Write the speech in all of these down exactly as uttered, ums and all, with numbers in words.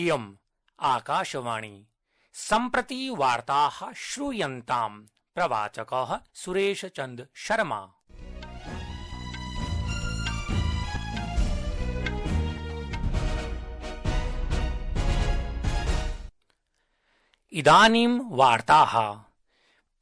इयम् आकाशवाणी सम्प्रति वार्ताः श्रूयन्ताम्। प्रवाचकः सुरेशचन्द्र शर्मा। इदानीं वार्ताः।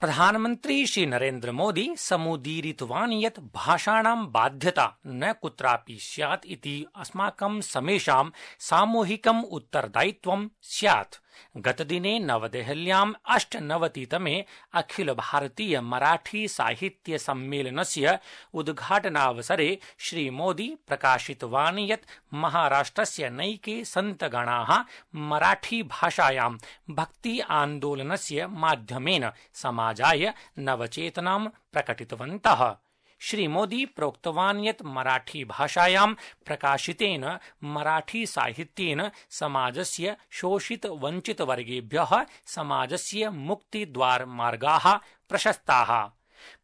प्रधानमन्त्री श्री नरेन्द्र मोदी समुदीरितवान् यत् भाषाणां बाध्यता न कुत्रापि स्यात् इति अस्माकं समेषां सामूहिकम् उत्तरदायित्वं स्यात्। गतदिने नवदेहल्याम् अष्टनवतितमे अखिल भारतीय मराठी साहित्य सम्मेलनस्य उद्घाटनावसरे श्री मोदी प्रकाशितवान् यत् महाराष्ट्रस्य नैके सन्तगणाः मराठी भाषायां भक्ति आन्दोलनस्य माध्यमेन समाजाय नवचेतनां प्रकटितवन्तः। श्री मोदी प्रोक्तवान् यत् मराठी भाषायां प्रकाशितेन मराठी साहित्येन समाजस्य शोषित वंचित वर्गेभ्यः समाजस्य मुक्तिद्वार मार्गाः प्रशस्ताः।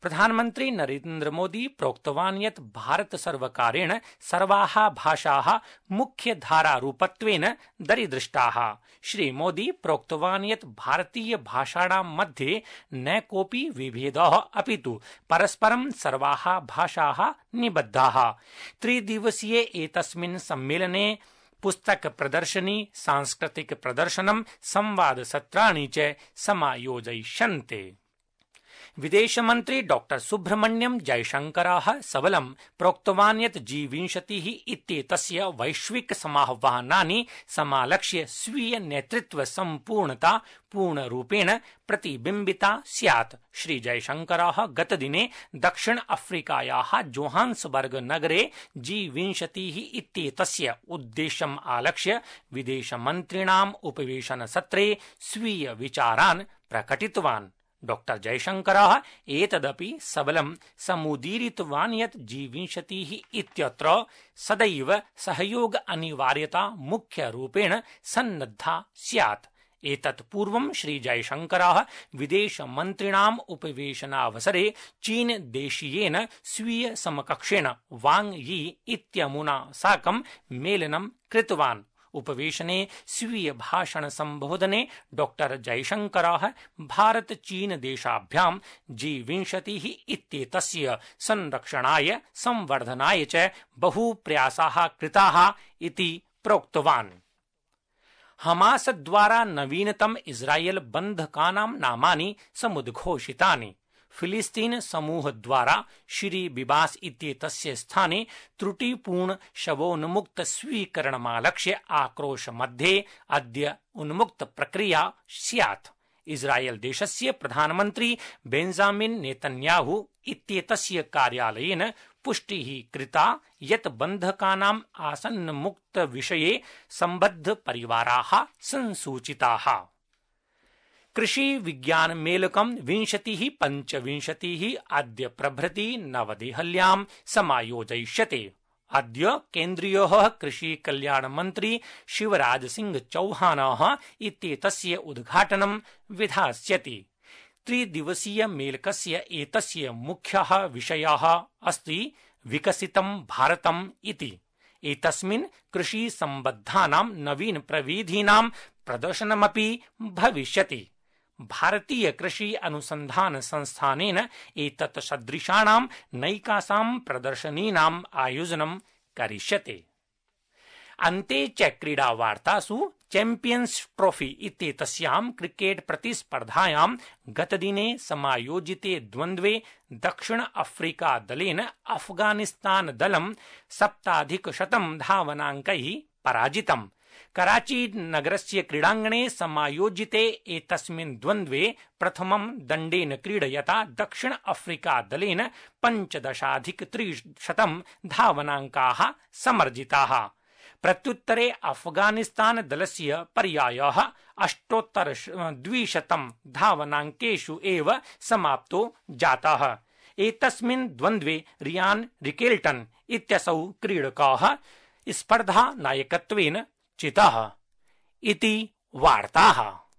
प्रधानमन्त्री नरेन्द्र मोदी प्रोक्तवान् यत् भारत सर्वकारेण सर्वाः भाषाः मुख्यधारारूपत्वेन दरीदृष्टाः। श्री मोदी प्रोक्तवान् यत् भारतीय भाषाणां मध्ये न कोऽपि विभेदः अपितु परस्परं सर्वाः भाषाः निबद्धाः। त्रिदिवसीये एतस्मिन् सम्मेलने पुस्तक प्रदर्शनी, सांस्कृतिक प्रदर्शनं, संवादसत्राणि च समायोजयिष्यन्ते। विदेशमन्त्री डॉक्टर सुब्रह्मण्यम जयशंकरः सबलं प्रोक्तवान् यत् जी विंशतिः इत्येतस्य वैश्विक समाह्वानानि समालक्ष्य स्वीय नेतृत्व सम्पूर्णता पूर्णरूपेण प्रतिबिम्बिता स्यात्। श्री जयशंकरः गतदिने दक्षिण अफ्रीकायाः जोहान्सबर्ग नगरे जी विंशतिः इत्येतस्य उद्देश्यम् आलक्ष्य विदेशमन्त्रिणाम् उपवेशनसत्रे स्वीय विचारान् प्रकटितवान्। डॉक्टर जयशंकरः एतदपि सबलं समुदीरितवान् यत् जी विंशतिः इत्यत्र सदैव सहयोग अनिवार्यता मुख्यरूपेण सन्नद्धा स्यात्। एतत् पूर्वं श्री जयशंकरः विदेशमन्त्रिणाम् उपवेशनावसरे चीन देशीयेन स्वीय समकक्षेण वांग यी इत्यमुना साकं मेलनं कृतवान्। उपवेशने स्वीय भाषण संबोधने डॉक्टर जयशंकरः भारत चीन देशाभ्यां जी विंशतिः इत्येतस्य संरक्षणाय संवर्धनाय च बहु प्रयासाः कृताः इति प्रोक्तवान्। हमास द्वारा नवीनतम इस्राएल बन्धकानां नामानि समुद्घोषितानि। फिलिस्तीन समूह द्वारा श्री बिबास इत्येतस्य स्थाने त्रुटिपूर्ण शवोन्मुक्त स्वीकरणमालक्ष्य आक्रोश मध्ये अद्य उन्मुक्त प्रक्रिया स्यात्। इस्राएल देशस्य प्रधानमन्त्री बेंजामिन नेतन्याहू इत्येतस्य कार्यालयेन पुष्टिः कृता यत् बन्धकानाम् आसन्नमुक्त विषये सम्बद्ध परिवाराः संसूचिताः। कृषि विज्ञान मेलकं विंशतिः पञ्चविंशतिः अद्य प्रभृति नवदेहल्यां समायोजयिष्यते। अद्य केन्द्रीयः कृषि कल्याण मन्त्री शिवराज सिंह चौहानः इत्येतस्य उद्घाटनं विधास्यति। त्रिदिवसीय मेलकस्य एतस्य मुख्यः विषयः अस्ति विकसितं भारतम् इति। एतस्मिन् कृषि सम्बद्धानां नवीन प्रविधीनां प्रदर्शनमपि भविष्यति। भारतीय कृषि अनुसंधान संस्थानेन एतत् सदृशानां नैकासां प्रदर्शनीनाम् आयोजनं करिष्यते। अन्ते च क्रीडावार्तासु चैम्पियन्स् ट्रॉफी इत्येतस्यां क्रिकेट प्रतिस्पर्धायां गतदिने समायोजिते द्वन्द्वे दक्षिण अफ्रीका दलेन अफगानिस्तान दलं सप्ताधिकशतं धावनाङ्कैः पराजितम्। कराची नगरस्य क्रीडाङ्गणे समायोजिते एतस्मिन् द्वन्द्वे प्रथमं दण्डेन क्रीडयता दक्षिण अफ्रीका दलेन पञ्चदशाधिकत्रिशतं धावनाङ्काः समर्जिताः। प्रत्युत्तरे अफगानिस्तान दलस्य पर्यायः अष्टोत्तर द्विशतं धावनाङ्केषु एव समाप्तो जातः। एतस्मिन् द्वन्द्वे रियान रिकेल्टन इत्यसौ क्रीडकः स्पर्धा नायकत्वेन चितः इति वार्ताः।